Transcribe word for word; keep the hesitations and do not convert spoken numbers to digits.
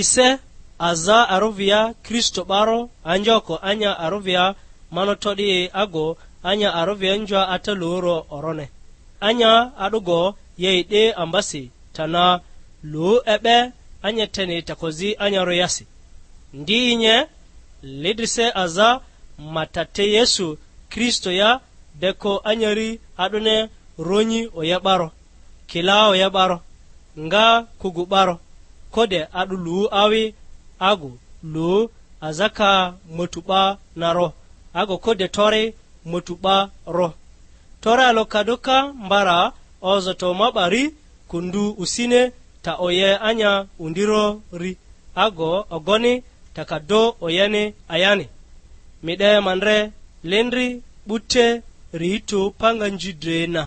Ise aza aruvia Kristo 'baro anjoko anya aruvia mano to'di ago anya aruvia njua ata luoro orone. Anya a'dugo ye e'de ambasi tana lu e'be anya teni takozi anya royasi. Ndi inye lidrise aza matate Yesu Kristo ya deko anyari a'dune ronyi oya 'baro, kila oya 'baro, nga kugu 'baro, kode a'du lu awi agu lu azaka motu 'ba na ro, ago kode tori motu 'ba ro. Tori alo kaduka mbara ozoto ma 'bari kundu usine ta oye anya undirori, ago ogoni ta ka do oyeni ayani. Mi 'de ma ndre lindri 'bute ritu panga nji dre na.